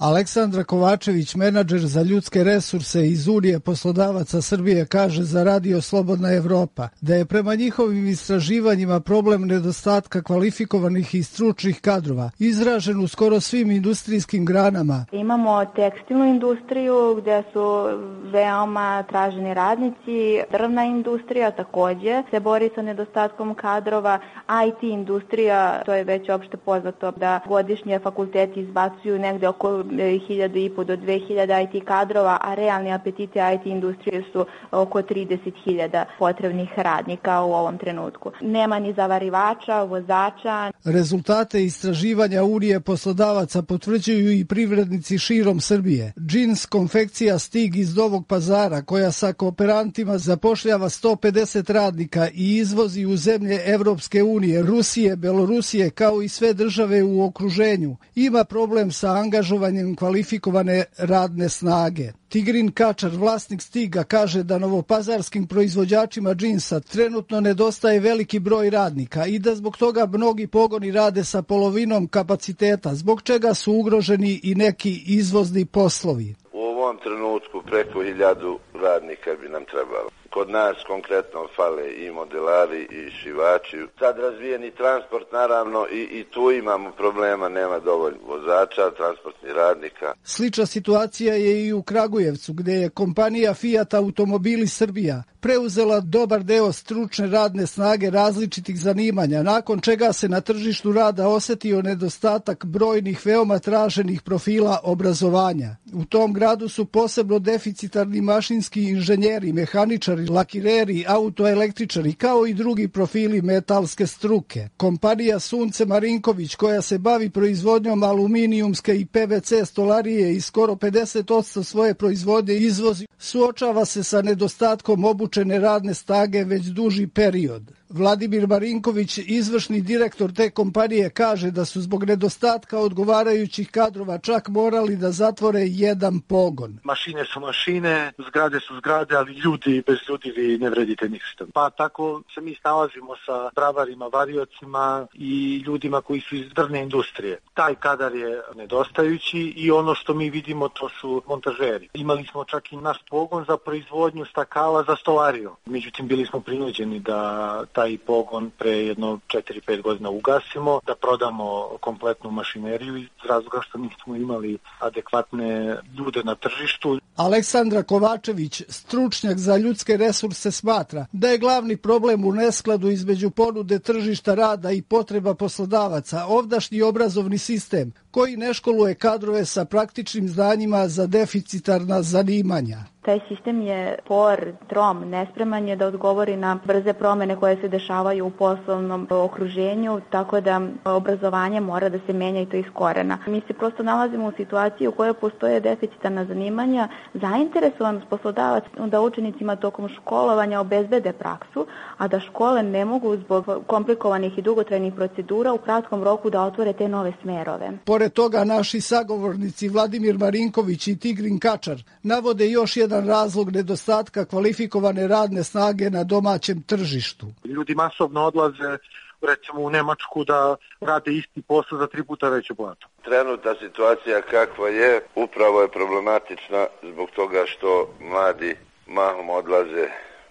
Aleksandra Kovačević, menadžer za ljudske resurse iz Unije poslodavaca Srbije, kaže za Radio Slobodna Evropa da je prema njihovim istraživanjima problem nedostatka kvalifikovanih i stručnih kadrova izražen u skoro svim industrijskim granama. Imamo tekstilnu industriju gdje su veoma traženi radnici, drvna industrija također se bori sa nedostatkom kadrova, IT industrija, to je već opšte poznato da godišnje fakulteti izbacuju negde oko 1.500 do 2.000 IT kadrova, a realni apetiti IT industrije su oko 30.000 potrebnih radnika u ovom trenutku. Nema ni zavarivača, vozača. Rezultate istraživanja Unije poslodavaca potvrđuju i privrednici širom Srbije. Džins konfekcija Stig iz Novog Pazara, koja sa kooperantima zapošljava 150 radnika i izvozi u zemlje Evropske unije, Rusije, Belorusije, kao i sve države u okruženju, ima problem sa angažovanjem kvalifikovane radne snage. Tigrin Kačar, vlasnik Stiga, kaže da novopazarskim proizvođačima džinsa trenutno nedostaje veliki broj radnika i da zbog toga mnogi pogoni rade sa polovinom kapaciteta, zbog čega su ugroženi i neki izvozni poslovi. U ovom trenutku preko 1000 radnika bi nam trebalo. Kod nas konkretno fale i modelari i šivači. Sad razvijeni transport, naravno, i tu imamo problema, nema dovoljno vozača, transportnih radnika. Slična situacija je i u Kragujevcu, gdje je kompanija Fiat Automobili Srbija preuzela dobar deo stručne radne snage različitih zanimanja, nakon čega se na tržištu rada osetio nedostatak brojnih veoma traženih profila obrazovanja. U tom gradu su posebno deficitarni mašinski inženjeri, mehaničari, lakireri, autoelektričari, kao i drugi profili metalske struke. Kompanija Sunce Marinković, koja se bavi proizvodnjom aluminijumske i PVC stolarije i skoro 50% svoje proizvodnje izvozi, suočava se sa nedostatkom obučene radne snage već duži period. Vladimir Marinković, izvršni direktor te kompanije, kaže da su zbog nedostatka odgovarajućih kadrova čak morali da zatvore jedan pogon. Mašine su mašine, zgrade su zgrade, ali ljudi, bez ljudi vi ne vredite ništa. Pa tako se mi snalazimo sa bravarima, variocima i ljudima koji su iz drvne industrije. Taj kadar je nedostajući i ono što mi vidimo to su montažeri. Imali smo čak i naš pogon za proizvodnju stakala za stolariju. Međutim, bili smo prinuđeni da taj pogon pre jedno 4-5 godina ugasimo, da prodamo kompletnu mašineriju iz razloga što nismo imali adekvatne ljude na tržištu. Aleksandra Kovačević, stručnjak za ljudske resurse, smatra da je glavni problem u neskladu između ponude tržišta rada i potreba poslodavaca ovdašnji obrazovni sistem koji ne školuje kadrove sa praktičnim znanjima za deficitarna zanimanja. Taj sistem je spor, trom, nespreman je da odgovori na brze promene koje se dešavaju u poslovnom okruženju, tako da obrazovanje mora da se menja i to iz korena. Mi se prosto nalazimo u situaciji u kojoj postoje deficitarna zanimanja, zainteresovanost poslodavac da učenicima tokom školovanja obezbede praksu, a da škole ne mogu zbog komplikovanih i dugotrajnih procedura u kratkom roku da otvore te nove smerove. Pored toga, naši sagovornici Vladimir Marinković i Tigrin Kačar navode još jedan razlog nedostatka kvalifikovane radne snage na domaćem tržištu. Ljudi masovno odlaze recimo u Nemačku da rade isti posao za 3 puta veću platu. Trenutna situacija kakva je, upravo je problematična zbog toga što mladi mahom odlaze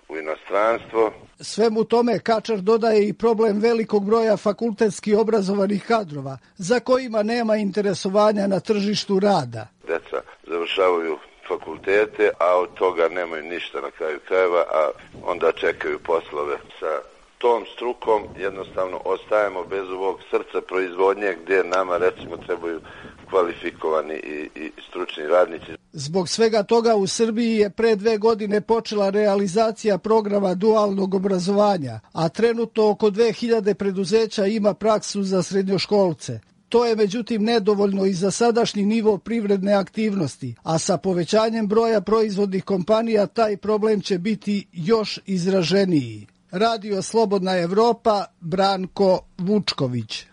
u inostranstvo. Svemu tome Kačar dodaje i problem velikog broja fakultetski obrazovanih kadrova, za kojima nema interesovanja na tržištu rada. Deca završavaju fakultete, a od toga nemaju ništa na kraju krajeva, a onda čekaju poslove sa tom strukom. Jednostavno ostajemo bez ovog srca proizvodnje gdje nama recimo trebaju kvalifikovani i stručni radnici. Zbog svega toga u Srbiji je pre 2 godine počela realizacija programa dualnog obrazovanja, a trenutno oko 2000 preduzeća ima praksu za srednjoškolce. To je međutim nedovoljno i za sadašnji nivo privredne aktivnosti, a sa povećanjem broja proizvodnih kompanija taj problem će biti još izraženiji. Radio Slobodna Evropa, Branko Vučković.